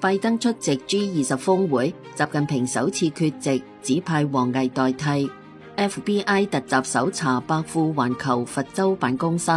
拜登出席 G20 峰會，習近平首次缺席，指派王毅代替。FBI 突襲搜查百富環球佛州辦公室。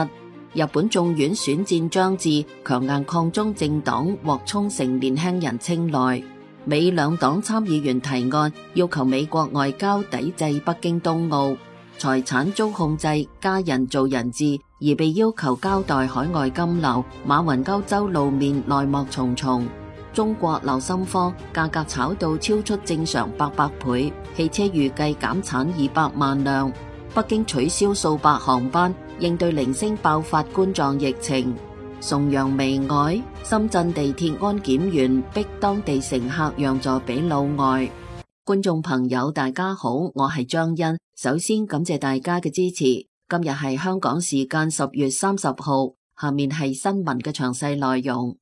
日本眾院選戰將至，強硬抗中政黨獲沖繩年輕人青睞。美兩黨參議員提案，要求美國外交抵制北京冬奧。財產遭控制，家人做人質，而被要求交代海外金流。馬雲歐洲露面，內幕重重。中國瀡心科價格炒到超出正常800倍，汽車預計減產200萬輛。北京取消數百航班，應對零星爆發冠狀疫情。崇洋媚外，深圳地鐵安檢員逼當地乘客讓座俾老外。觀眾朋友大家好，我係張欣，首先感謝大家嘅支持。今日係香港時間10月30號，下面係新聞嘅詳細內容。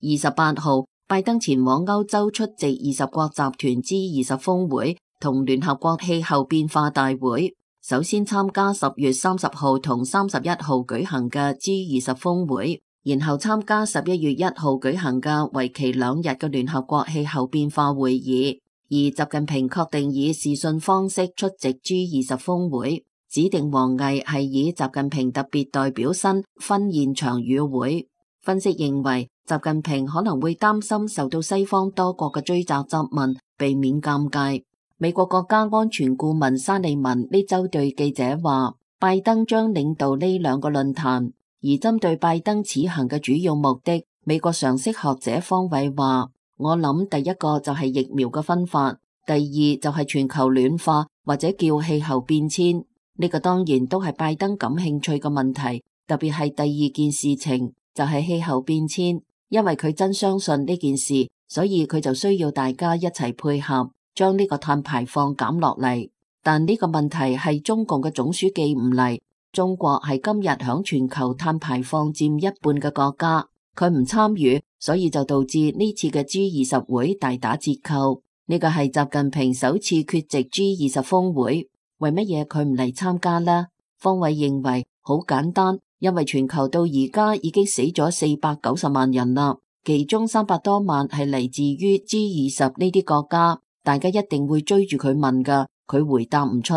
28號，拜登前往歐洲出席20國集團 G20 峰會同聯合國氣候變化大會，首先參加10月30號同31號舉行嘅 G20 峰會，然後參加11月1號舉行嘅為期2日嘅聯合國氣候變化會議。而習近平確定以視訊方式出席 G20 峰會，指定王毅係以習近平特別代表身分現場與會。分析認為，習近平可能會擔心受到西方多國嘅追責質問，避免尷尬。美國國家安全顧問沙利文呢周對記者話，拜登將領導呢2個論壇，而針對拜登此行嘅主要目的，美國常識學者方偉話，我諗第一個就係疫苗嘅分發，第二就係全球暖化或者叫氣候變遷，呢個當然都係拜登感興趣嘅問題，特別係第二件事情就係氣候變遷，因為佢真相信呢件事，所以佢就需要大家一齊配合，將呢個碳排放減落嚟。但呢個問題係中共嘅總書記唔嚟，中國係今日響全球碳排放佔1半嘅國家，佢唔參與，所以就導致呢次嘅 G20 會大打折扣。呢個係習近平首次缺席 G20 峰會，為乜嘢佢唔嚟參加呢？方偉認為好簡單。因為全球到而家已經死咗490萬人啦，其中300多萬係嚟自於 G20 呢啲國家，大家一定會追住佢問㗎，佢回答唔出。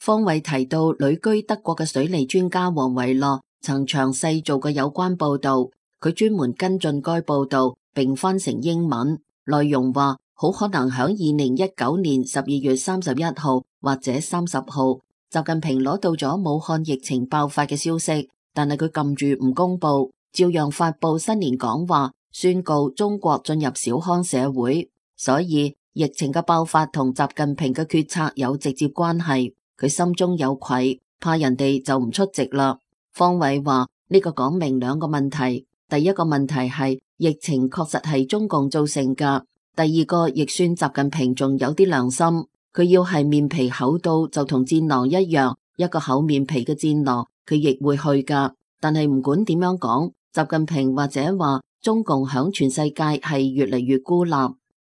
方偉提到旅居德國嘅水利專家黃維樂曾詳細做過有關報導，佢專門跟進該報導並翻成英文，內容話好可能喺2019年12月31號或者30號，習近平攞到咗武漢疫情爆發嘅消息。但係佢撳住唔公布，照樣發佈新年講話，宣告中國進入小康社會。所以疫情嘅爆發同習近平嘅決策有直接關係。佢心中有愧，怕人哋就唔出席啦。方偉話呢個講明2個問題，第一個問題係疫情確實係中共造成㗎，第二個亦算習近平仲有啲良心，佢要係面皮厚到就同戰狼一樣，一個厚面皮嘅戰狼。佢亦會去㗎，但係唔管點樣講，習近平或者話中共響全世界係越嚟越孤立，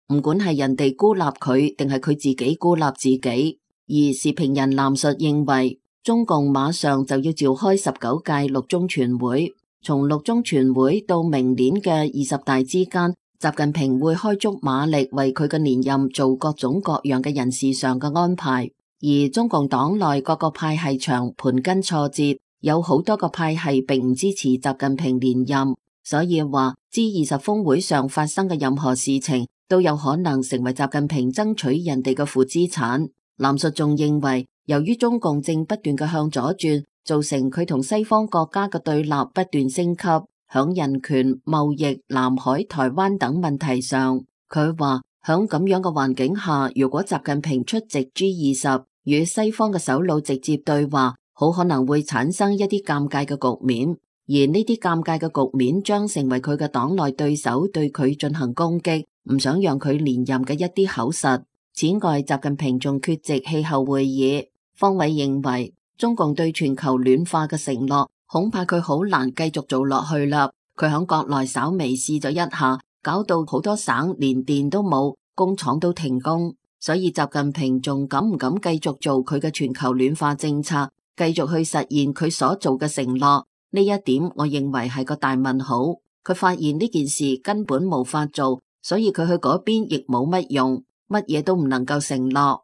唔管係人哋孤立佢定係佢自己孤立自己。而時評人藍述認為，中共馬上就要召開19屆六中全會，從六中全會到明年嘅20大之間，習近平會開足馬力為佢嘅連任做各種各樣嘅人事上嘅安排。而中共黨內各個派系場盤根錯節。有好多個派系並唔支持習近平連任，所以話 G20 峰會上發生嘅任何事情都有可能成為習近平爭取人哋嘅負資產。藍述仲認為，由於中共正不斷嘅向左轉，造成佢同西方國家嘅對立不斷升級，響人權、貿易、南海、台灣等問題上，佢話響咁樣嘅環境下，如果習近平出席 G20 與西方嘅首腦直接對話，好可能會產生一啲尷尬嘅局面，而呢啲尷尬嘅局面將成為佢嘅黨內對手對佢進行攻擊，唔想讓佢連任嘅一啲口實。此外，習近平仲缺席氣候會議。方偉認為，中共對全球暖化嘅承諾，恐怕佢好難繼續做落去啦。佢響國內稍微試咗一下，搞到好多省連電都冇，工廠都停工。所以習近平仲敢唔敢繼續做佢嘅全球暖化政策，繼續去實現佢所做嘅承諾？呢一點我認為係個大問號。佢發現呢件事根本無法做，所以佢去嗰邊亦冇乜用，乜嘢都唔能夠承諾。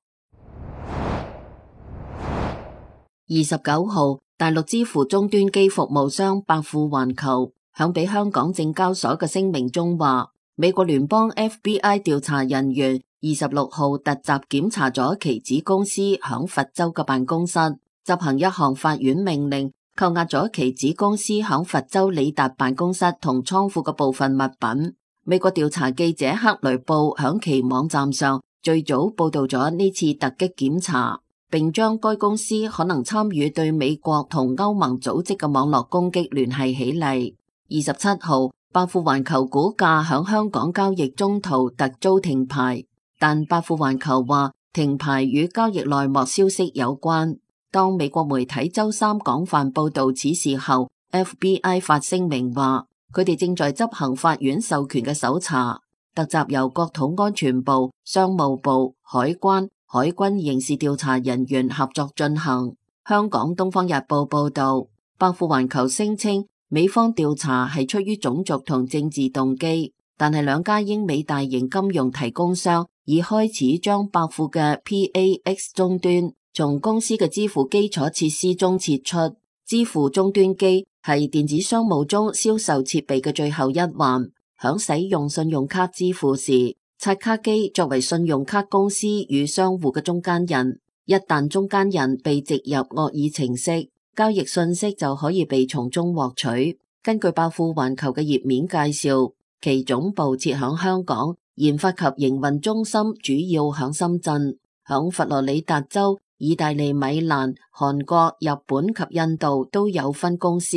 29號，大陸支付終端機服務商百富環球響俾香港證交所嘅聲明中話，美國聯邦 FBI 調查人員26號突襲檢查咗其子公司響佛州嘅辦公室，執行一項法院命令，扣押咗其子公司響佛州里達辦公室同倉庫嘅部分物品。美國調查記者克雷布響其網站上最早報道咗呢次突擊檢查，並將該公司可能參與對美國同歐盟組織嘅網絡攻擊聯繫起嚟。27號，百富環球股價響香港交易中途突遭停牌，但百富環球話停牌與交易內幕消息有關。當美國媒體周三廣泛報道此事後， FBI 發聲明話佢哋正在執行法院授權嘅搜查。突襲由國土安全部、商務部、海關、海軍刑事調查人員合作進行。香港東方日報報道，百富環球聲稱美方調查係出於種族同政治動機，但係兩家英美大型金融提供商已開始將百富嘅 PAX 終端從公司嘅支付基礎設施中撤出。支付終端機係電子商務中銷售設備嘅最後一環，響使用信用卡支付時，刷卡機作為信用卡公司與商戶嘅中間人，一旦中間人被植入惡意程式，交易信息就可以被從中獲取。根據百富環球嘅頁面介紹，其總部設響香港，研發及營運中心主要響深圳，響佛羅里達州、意大利米蘭、韓國、日本及印度都有分公司，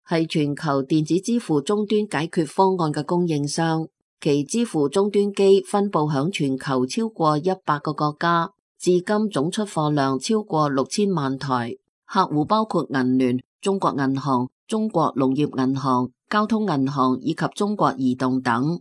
係全球電子支付終端解決方案嘅供應商。其支付終端機分布響全球超過100個國家，至今總出貨量超過6000萬台，客戶包括銀聯、中國銀行、中國農業銀行、交通銀行以及中國移動等。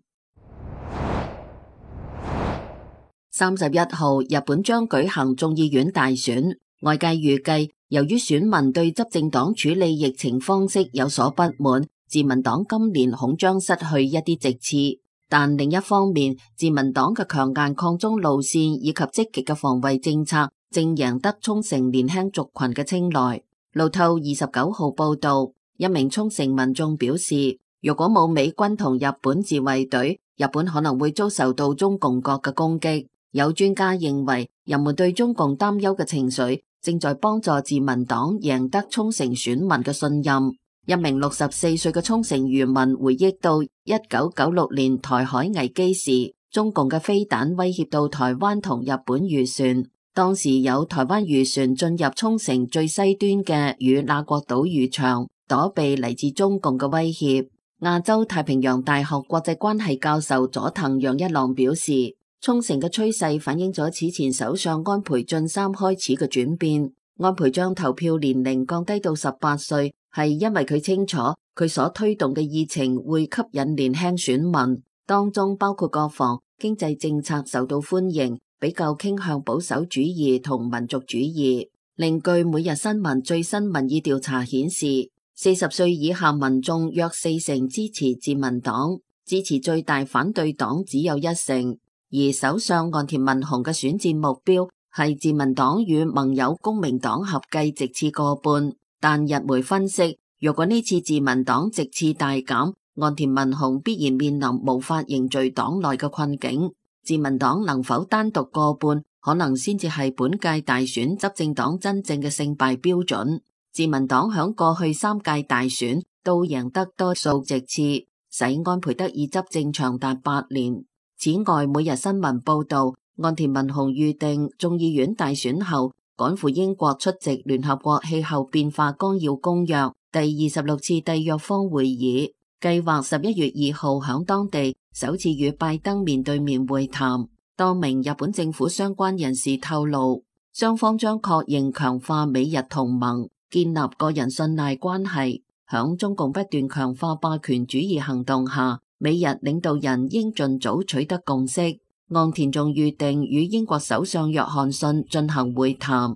31號，日本將舉行眾議院大選，外界預計由於選民對執政黨處理疫情方式有所不滿，自民黨今年恐將失去一啲席次。但另一方面，自民黨嘅強硬抗中路線以及積極嘅防衛政策正贏得沖繩年輕族群嘅青睞。路透29號報道，一名沖繩民眾表示，如果冇美軍同日本自衛隊，日本可能會遭受到中共國嘅攻擊。有專家認為，人們對中共擔憂嘅情緒正在幫助自民黨贏得沖繩選民嘅信任。一名64歲嘅沖繩漁民回憶到1996年台海危機時，中共嘅飛彈威脅到台灣同日本漁船，當時有台灣漁船進入沖繩最西端嘅與那國島漁場，躲避嚟自中共嘅威脅。亞洲太平洋大學國際關係教授佐藤陽一郎表示，沖繩嘅趨勢反映咗此前首相安倍晉三開始嘅轉變。安倍將投票年齡降低到18歲，係因為佢清楚佢所推動嘅議程會吸引年輕選民，當中包括國防、經濟政策受到歡迎，比較傾向保守主義同民族主義。另據每日新聞最新民意調查顯示，40歲以下民眾約40%支持自民黨，支持最大反對黨只有1%。而首相岸田文雄嘅選戰目標係自民黨與盟友公明黨合計席次過半，但日媒分析，如果呢次自民黨席次大減，岸田文雄必然面臨無法凝聚黨內嘅困境。自民黨能否單獨過半，可能先至係本屆大選執政黨真正嘅勝敗標準。自民黨響過去3屆大選都贏得多數席次，使安倍得以執政長達8年。此外，每日新聞報道，岸田文雄預定眾議院大選後趕赴英國出席聯合國氣候變化綱要公約第26次締約方會議，計劃11月2號響當地首次與拜登面對面會談。多名日本政府相關人士透露，雙方將確認強化美日同盟，建立個人信賴關係。響中共不斷強化霸權主義行動下，美日領導人應盡早取得共識。岸田仲預定與英國首相約翰遜進行會談。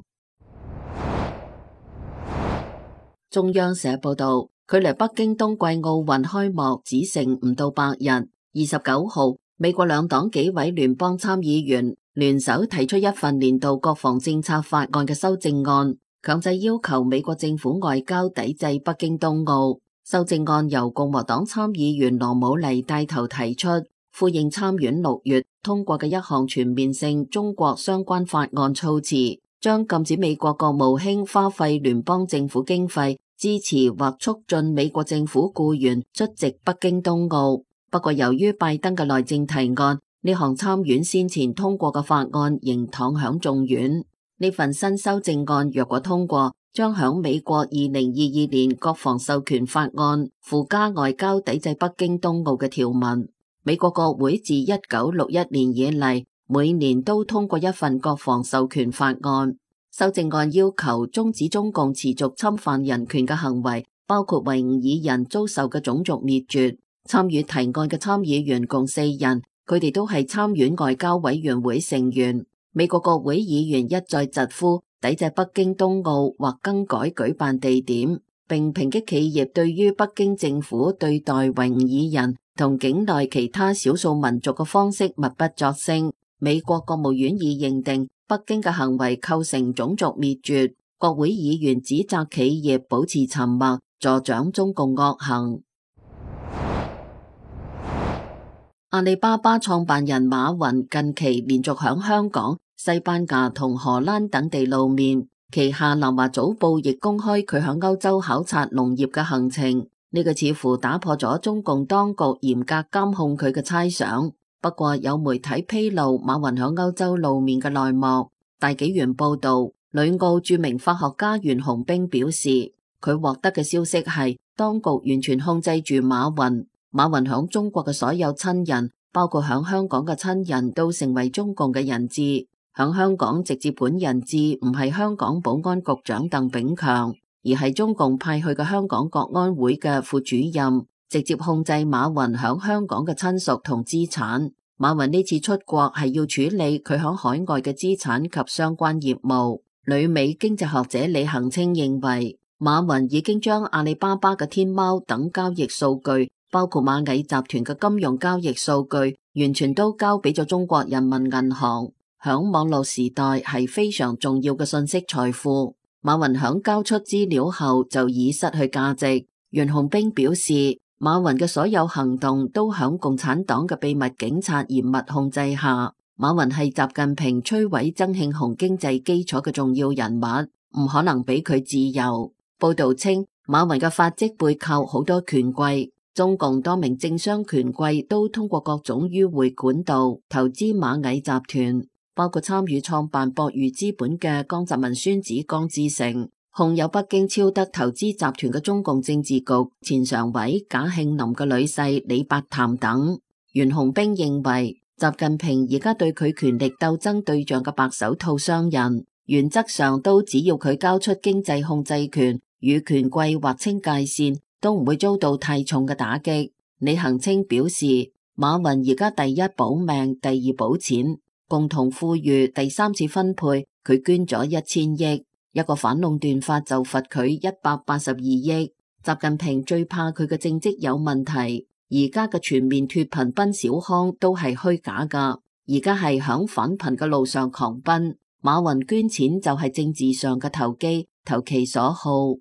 中央社報道，距離北京冬季奧運開幕只剩唔到8日。29號，美國兩黨幾位聯邦參議員聯手提出一份年度國防政策法案嘅修正案，強制要求美國政府外交抵制北京冬奧。修正案由共和黨參議員羅姆尼帶頭提出，呼應參院6月通過嘅一項全面性中國相關法案措辭，將禁止美國國務卿花費聯邦政府經費支持或促進美國政府僱員出席北京冬奧。不過由於拜登嘅內政提案，呢項參院先前通過嘅法案仍躺響眾院。呢份新修正案若果通過，將響美國2022年國防授權法案附加外交抵制北京冬奧嘅條文。美國國會自1961年以嚟，每年都通過一份國防授權法案。修正案要求終止中共持續侵犯人權嘅行為，包括維吾爾人遭受嘅種族滅絕。參與提案嘅參議員共4人，佢哋都係參院外交委員會成員。美國國會議員一再疾呼抵制北京冬奧或更改舉辦地點，並抨擊企業對於北京政府對待維吾爾人同境內其他少數民族嘅方式默不作聲。美國國務院已認定北京嘅行為構成種族滅絕。國會議員指責企業保持沉默，助長中共惡行。阿里巴巴創辦人馬雲近期連續響香港、西班牙同荷蘭等地露面，旗下南華早報亦公開佢響歐洲考察農業嘅行程。呢個似乎打破咗中共當局嚴格監控佢嘅猜想。不過有媒體披露馬雲響歐洲露面嘅內幕。大紀元報道，旅澳著名化學家袁洪兵表示，佢獲得嘅消息係當局完全控制住馬雲。馬雲響中國嘅所有親人，包括響香港嘅親人，都成為中共嘅人質。響香港直接本人質唔係香港保安局長鄧炳強，而係中共派去嘅香港國安會嘅副主任，直接控制馬雲響香港嘅親屬同資產。馬雲呢次出國係要處理佢響海外嘅資產及相關業務。旅美經濟學者李恒清認為，馬雲已經將阿里巴巴嘅天貓等交易數據，包括螞蟻集團嘅金融交易數據，完全都交俾咗中國人民銀行。響網絡時代係非常重要嘅信息財富。馬雲響交出資料後就已失去價值。袁洪兵表示，馬雲嘅所有行動都響共產黨嘅秘密警察嚴密控制下。馬雲係習近平摧毀曾慶紅經濟基礎嘅重要人物，唔可能俾佢自由。報道稱，馬雲嘅發跡背靠好多權貴。中共多名政商權貴都通過各種迂迴管道投資螞蟻集團，包括參與創辦博裕資本嘅江澤民孫子江志成，控有北京超德投資集團嘅中共政治局前常委賈慶林嘅女婿李伯潭等。袁洪兵認為，習近平而家對佢權力鬥爭對象嘅白手套商人，原則上都只要佢交出經濟控制權，與權貴劃清界線，都唔會遭到太重嘅打擊。李恒清表示，馬雲而家第一保命，第二保錢，共同富裕第三次分配，佢捐咗1000億，一個反壟斷法就罰佢182億。習近平最怕佢嘅政績有問題，而家嘅全面脫貧奔小康都係虛假噶，而家係響反貧嘅路上狂奔。馬雲捐錢就係政治上嘅投機，投其所好。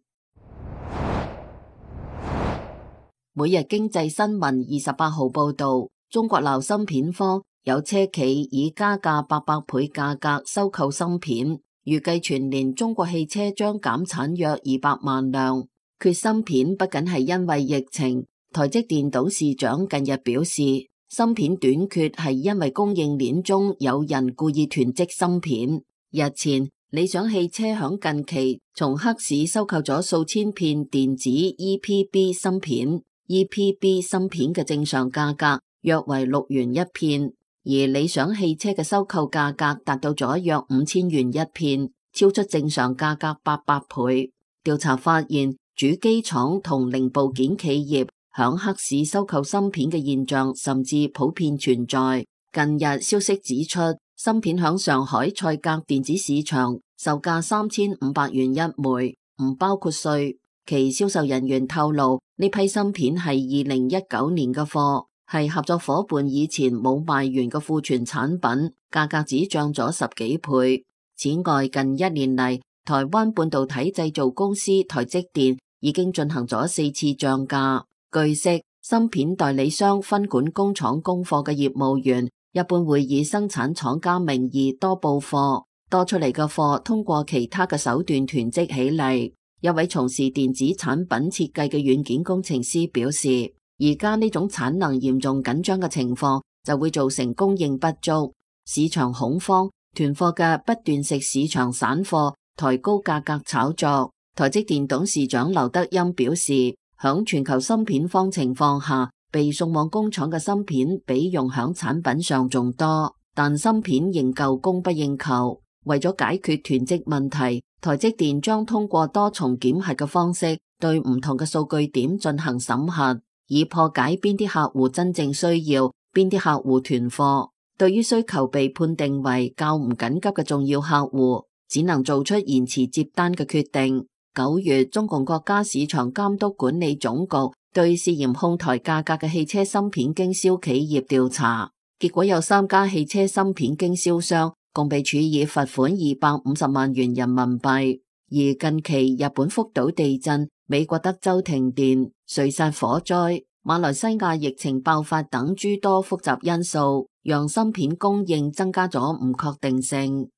每日經濟新聞28號報道，中國鬧芯片荒，有車企以加價800倍價格收購芯片，預計全年中國汽車將減產約200萬輛。缺芯片不僅係因為疫情，台積電董事長近日表示，芯片短缺係因為供應鏈中有人故意囤積芯片。日前，理想汽車響近期從黑市收購咗數千片電子 EPB 芯片。EPB 芯片嘅正常價格約為6元一片，而理想汽車嘅收購價格達到咗約5000元一片，超出正常價格800倍。調查發現，主機廠同零部件企業響黑市收購芯片嘅現象甚至普遍存在。近日消息指出，芯片響上海賽格電子市場售價3500元一枚，唔包括稅。其銷售人員透露，呢批芯片係2019年嘅貨，係合作夥伴以前冇賣完嘅庫存產品，價格只漲咗10幾倍。此外，近1年嚟，台灣半導體製造公司台積電已經進行咗4次漲價。據悉，芯片代理商分管工廠供貨嘅業務員一般會以生產廠家名義多報貨，多出嚟嘅貨通過其他嘅手段囤積起嚟。一位從事電子產品設計嘅軟件工程師表示，而家呢種產能嚴重緊張嘅情況就會造成供應不足、市場恐慌、囤貨嘅不斷食市場散貨，抬高價格炒作。台積電董事長劉德音表示，響全球芯片荒情況下，被送往工廠嘅芯片比用響產品上仲多，但芯片仍舊供不應求。為咗解決囤積問題，台積電將通過多重檢核嘅方式，對唔同嘅數據點進行審核，以破解邊啲客戶真正需要，邊啲客戶囤貨。對於需求被判定為較唔緊急嘅重要客戶，只能做出延遲接單嘅決定。9月，中共國家市場監督管理總局對涉嫌哄抬價格嘅汽車芯片經銷企業調查，結果有3家汽車芯片經銷商共被處以罰款250萬元人民幣。而近期日本福島地震、美國德州停電、瑞薩火災、馬來西亞疫情爆發等諸多複雜因素，讓芯片供應增加咗唔確定性。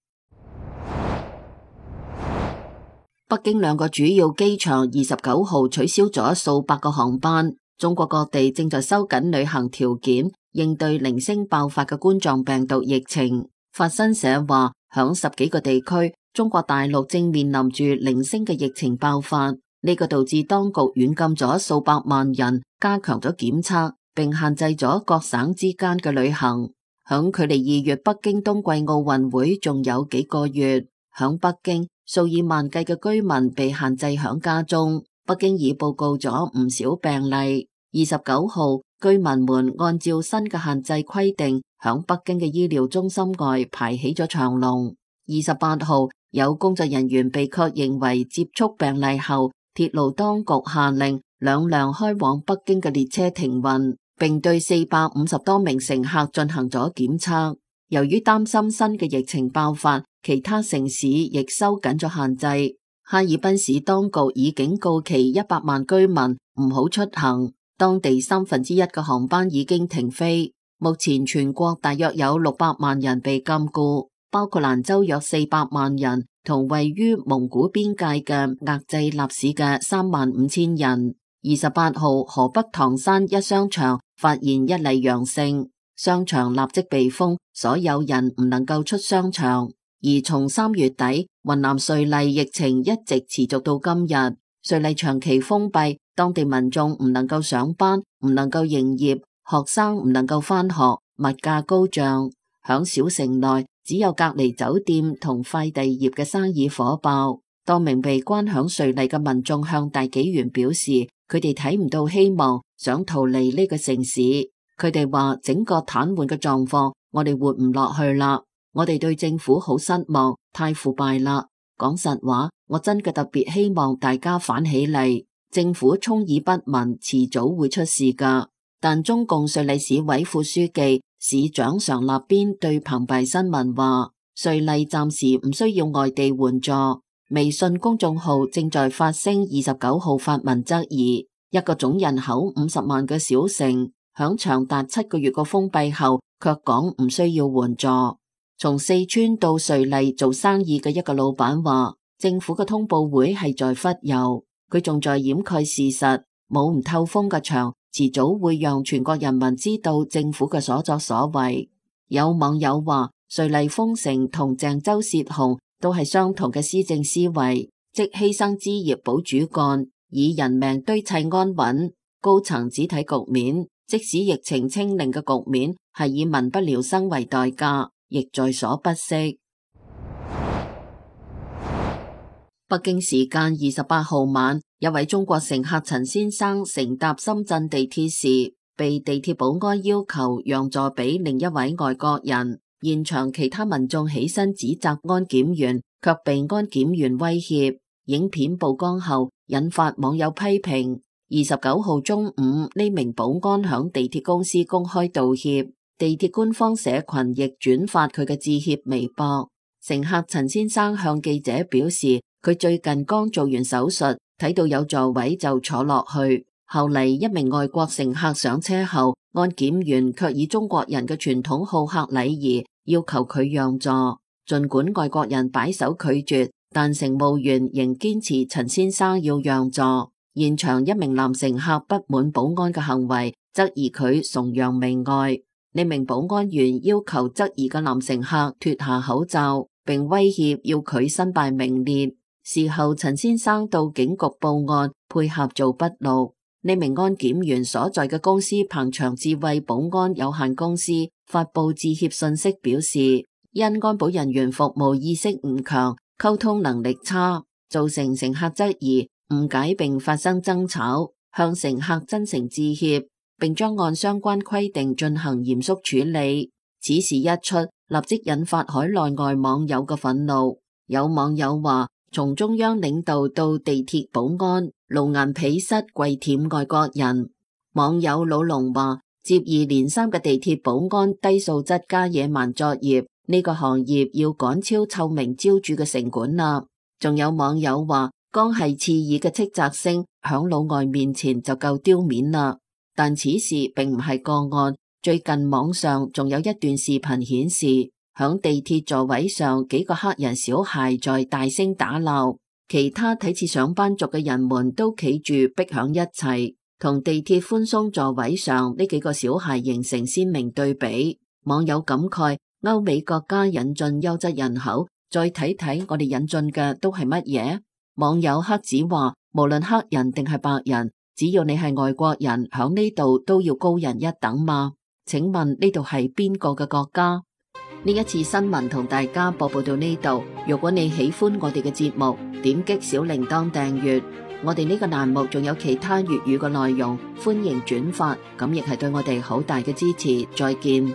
北京2個主要機場29號取消咗數百個航班，中國各地正在收緊旅行條件，應對零星爆發嘅冠狀病毒疫情。法新社話，響10幾個地區，中國大陸正面臨住零星嘅疫情爆發，呢個導致當局軟禁咗數百萬人，加強咗檢測，並限制咗各省之間嘅旅行。響距離2月北京冬季奧運會仲有幾個月，響北京數以萬計嘅居民被限制響家中。北京已報告咗唔少病例。29號，居民們按照新嘅限制規定，響北京嘅醫療中心外排起咗長龍。28號，有工作人員被確認為接觸病例後，鐵路當局下令2輛開往北京嘅列車停運，並對450多名乘客進行咗檢測。由於擔心新嘅疫情爆發，其他城市亦收緊咗限制。哈爾濱市當局已警告其100萬居民唔好出行，當地1/3嘅航班已經停飛。目前全國大約有600萬人被禁錮，包括蘭州約400萬人，同位於蒙古邊界嘅額濟納市嘅35000人。28號，河北唐山一商場發現一例陽性，商場立即被封，所有人唔能夠出商場。而從3月底，雲南瑞麗疫情一直持續到今日，瑞麗長期封閉，當地民眾唔能夠上班，唔能夠營業，學生唔能夠返學，物價高漲。響小城內，只有隔離酒店同快遞業嘅生意火爆。多名被關響瑞麗嘅民眾向大紀元表示，佢哋睇唔到希望，想逃離呢個城市。佢哋話整個癱瘓嘅狀況，我哋活唔落去啦。我哋對政府好失望，太腐敗啦。講實話，我真嘅特別希望大家反起嚟。政府充耳不聞，遲早會出事噶。但中共瑞麗市委副書記、市長常立邊對澎湃新聞話，瑞麗暫時唔需要外地援助。微信公眾號正在發聲29號發文質疑，一個總人口50萬嘅小城，響長達7個月嘅封閉後，卻講唔需要援助。從四川到瑞麗做生意嘅一個老闆話，政府嘅通報會係在忽悠，佢仲在掩蓋事實，冇唔透風嘅牆，遲早會讓全國人民知道政府嘅所作所為。有網友話，瑞麗封城同鄭州泄洪都係相同嘅施政思維，即犧牲枝葉保主幹，以人命堆砌安穩。高層只睇局面，即使疫情清零嘅局面係以民不聊生為代價，亦在所不惜。北京時間28號晚，一位中國乘客陳先生乘搭深圳地鐵時，被地鐵保安要求讓座俾另一位外國人。現場其他民眾起身指責安檢員，卻被安檢員威脅。影片曝光後引發網友批評。29號中午，呢名保安響地鐵公司公開道歉，地鐵官方社群亦轉發佢嘅致歉微博。乘客陳先生向記者表示，佢最近剛做完手術，睇到有座位就坐落去。後嚟一名外國乘客上車後，安檢員卻以中國人嘅傳統好客禮儀要求佢讓座。儘管外國人擺手拒絕，但乘務員仍堅持陳先生要讓座。現場一名男乘客不滿保安嘅行為，質疑佢崇洋媚外。呢名保安員要求質疑嘅男乘客脫下口罩，並威脅要佢身敗名裂。事後陳先生到警局報案，配合做筆錄。呢名安檢員所在嘅公司鵬翔智慧保安有限公司發佈致歉信息，表示因安保人員服務意識唔強，溝通能力差，造成乘客質疑、誤解並發生爭吵，向乘客真誠致歉，並將按相關規定進行嚴肅處理。此事一出，立即引發海內外網友嘅憤怒。有網友話，從中央領導到地鐵保安，露顏鄙膝跪舔外國人。網友老龍話，接二連三嘅地鐵保安低素質加野蠻作業，呢個行業要趕超臭名昭著嘅城管啦。仲有網友話，光係刺耳嘅斥責聲響老外面前就夠丟面啦。但此事並唔係個案，最近網上仲有一段視頻顯示，響地鐵座位上幾個黑人小孩在大聲打鬧，其他睇似上班族嘅人們都企住逼響一齊，同地鐵寬鬆座位上呢幾個小孩形成鮮明對比。網友感慨，歐美國家引進優質人口，再睇睇我哋引進嘅都係乜嘢？網友黑子話，無論黑人定係白人，只要你係外國人，響呢度都要高人一等嘛？請問呢度係邊個嘅國家？呢一次新聞同大家播報到呢度。如果你喜歡我哋嘅節目，點擊小鈴鐺訂閱。我哋呢個欄目仲有其他粵語嘅內容，歡迎轉發，咁亦係對我哋好大嘅支持。再見。